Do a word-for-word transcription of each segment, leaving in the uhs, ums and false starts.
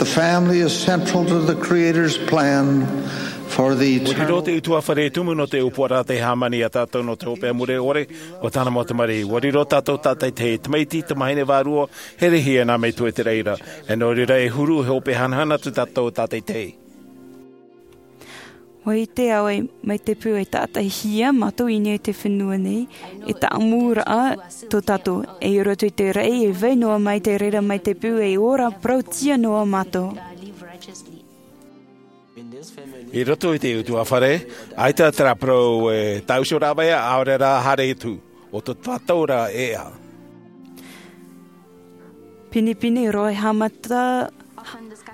Family is central to the Creator's plan for the ua riro eternal te utuafare tumu nō te ʻōpuaraʻa te hāmani iā tātou nō te hopeʻa mure ʻore o tāna mau tamariʻi. Ua riro tātou tātaitahi, tamaiti, tamahine vārua, herehia nā metua i te reira. E nō reira e huru he hopeʻa hanahana atu tātou tātaitahi. Ua ʻite au ē, mai te peu e tātaʻihia mātou i niʻa i te fenua nei, e tāʻamuraʻa tō tātou. E i roto i te raʻi e vai noa mai te reira mai te peu e ora parautia noa mātou. I roto i te utuafare, ʻaita terā parau e tāʻuso rāveʻa, ʻaore rā haere atu, ʻo tō tātou rā ʻēʻa. Pinepine roa e haʻamata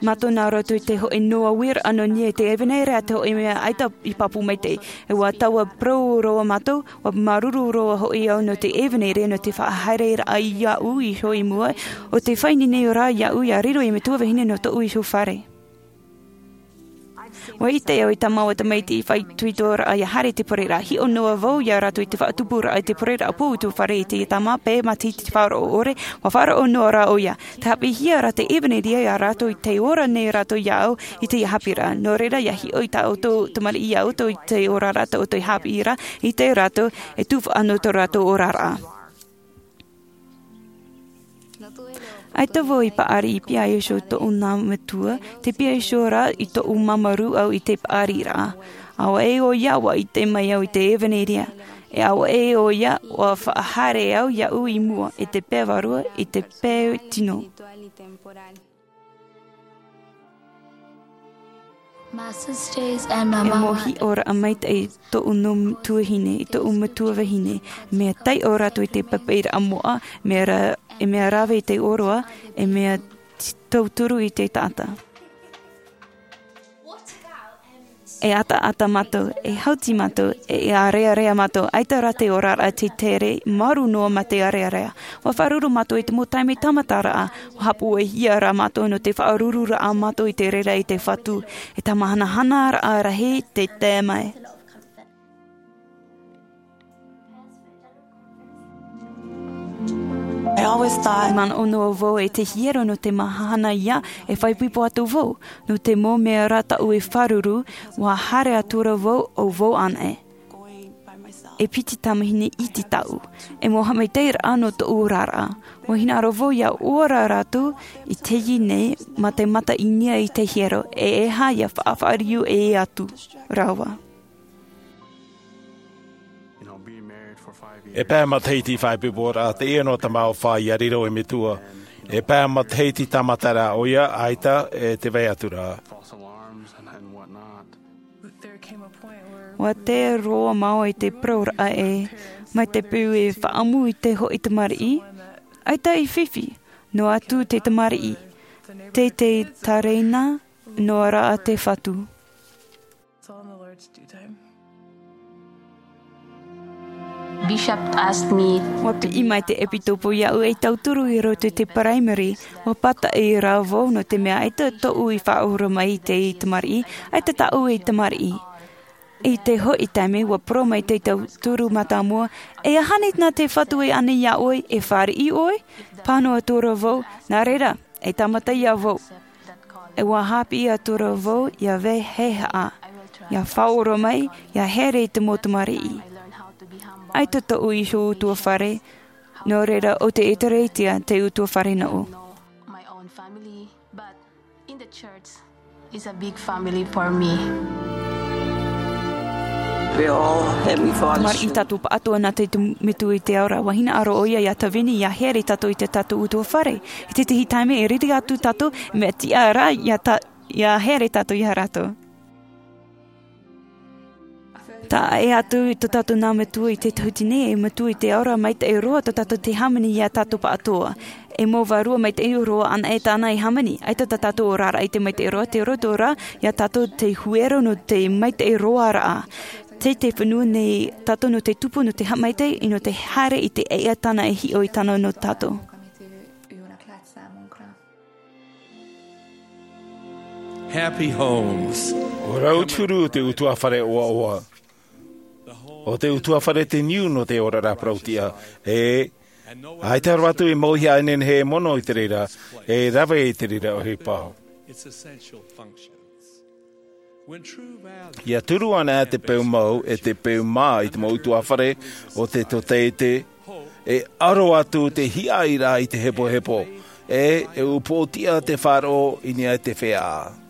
mātou nā roto i te hoʻi noa uiraʻa nō niʻa i te evanelia, te hoʻi mea ʻaita i pāpū maitaʻi. E ua taua parau roa mātou, ua māuruuru roa hoʻi au nō te evanelia, nō te faʻahaereraʻa iāʻu iho i mua, ʻo te faʻaineine rā iāʻu ʻia riro ei metua vahine nō tōʻu iho fare. Ua ʻite au i tā māua tamaiti i faʻaitoitoraʻa ʻia haere i te parau ra, hiʻo noa vau iā rātou i te faʻatupuraʻa i te parau ra, pū utuafare i te tāmā, pē matahiti te faʻaroʻo ʻore, ua faʻaroʻo noa rā ʻoia. Tē haʻapiʻihia ra te evanelia iā rātou i te ora nei rātou iāʻu i teie haʻapiʻiraʻa. Nō reira, ʻia hiʻo i tā ʻoutou tamariʻi iā ʻoutou i te oraraʻa tā ʻoutou i haʻapiʻi ra, ʻite rātou, e tufaʻa nō tō rātou oraraʻa. ʻAita vau i paʻari i piha iho i tōʻu nā metua, tē piha iho ra i tōʻu māuruuru au i te paʻariraʻa. ʻAua ē ʻoia, ʻua ʻite mai au i te evanelia. E ʻaua ē ʻoia, ʻua faʻahaere au iāʻu i mua, i te pae vārua, i te pae tino. E mau hiʻoraʻa maitaʻi i tōʻu nō tuahine, i tōʻu metua vahine, mea taiʻo rātou i te papaʻiraʻa moʻa, mea ra-, e mea rave i te ʻōroʻa, e mea t-, tauturu i te taʻata. E ataata mātou, e hauti mātou, e ʻārearea mātou, ʻaita rā te oraraʻa te tere, māuruuru noa mā te ʻārearea. ʻUa faʻaroʻo mātou i te mau taime tāmataraʻa, ʻua haʻapūaihia rā mātou nō te faʻarururaʻa mātou i te reira i te Fatu, e tāmāhanahanaraʻa rahi te tae mai. I always thought manaʻo noa vau e te hiero nō te mahana ia e faʻaipoipo atu vau, nō te mau mea rā tāʻu e faʻaruru, ʻua haere atu ra vau ʻo vau anaʻe. E piti tamahine iti tāʻu. E mau haʻamaitaʻiraʻa nō tōʻu oraraʻa. ʻUa hinaʻaro vau ʻia ora rātou i teie nei mā te mata i niʻa i te hiero, e ʻeiaha ʻia faʻafaʻariʻi ʻē atu rāua. E pae matahiti faʻaipoiporaʻa teie nō te mau fā ʻia riro ei metua. E pae matahiti tāmata rā ʻoia, ʻaita e te vai atu ra. ʻUa tae roa māua i te parauraʻa ē, mai te peu e faʻaʻamu i te hoʻi tamariʻi, ʻaita i fifi, noa atu te tamariʻi, tē, tē tereina noa ra te Fatu. Bishop asked me. ʻUa piʻi mai te ʻepitopo iāʻu ei tauturu i roto i te paraimere, ʻua pātaʻi rā vau nō te mea ʻaita tōʻu i faʻaora mai i te tamariʻi, ʻaita tāʻu ei tamariʻi. I te hoʻi taime, ʻua parau mai te tauturu mātāmua, e aha nei nā te Fatu e ani iā ʻoe, e fāriʻi ʻoe? Pāhono atu ra vau, nā reira, e tāmata ia vau. E ʻua haʻapiʻi atu ra vau ʻia vaiiho, ʻia faʻaora mai, ʻia haere i te mau tamariʻi. ʻAita tōʻu iho utuafare, nō reira ʻo te ʻĒtārētia te utuafare nōʻu. It's a big family for me. Tamariʻi tātou pāʻatoʻa nā te, te metua i te ao ra. ʻUa hinaʻaro ʻoia ʻia tāvini, ʻia haere tātou i tā tātou utuafare. I tētahi taime e riri atu tātou, mea tiʻa rā ʻia tā-, ʻia haere tātou ia rātou. Taʻa ʻē atu i tō tātou nā metua i te tahuti nei, e Metua i te ao ra, maitaʻi roa tō tātou te hāmani ia tātou pāʻatoʻa. E mau vārua maitaʻi roa anaʻe tāna e hāmani, ʻaita tā tātou oraraʻa i te maitaʻi roa, tē roto ra ia tātou te huero nō te maitaʻi roaraʻa. Tei te fenua nei tātou nō te tupu, nō te haʻamaitaʻi, nō te haere i te ʻēʻa tāna e hiʻo i tāna nō tātou. Happy homes. ʻUa rau te huru o te utuafare ʻoaʻoa. ʻO te utuafare te niu nō te oraraʻa parauʻtiʻa. E, ʻaita roa atu e mau iho ʻānenehē e mono i te reira, e rave i te reira ʻohipa. Ia turu ana te peu mau e te peu mā i te mau utuafare o te totete, e aro atu te hiaʻai ra i te hepohepo, e e upoʻotiʻa te faʻaroʻo i niʻa i te fea.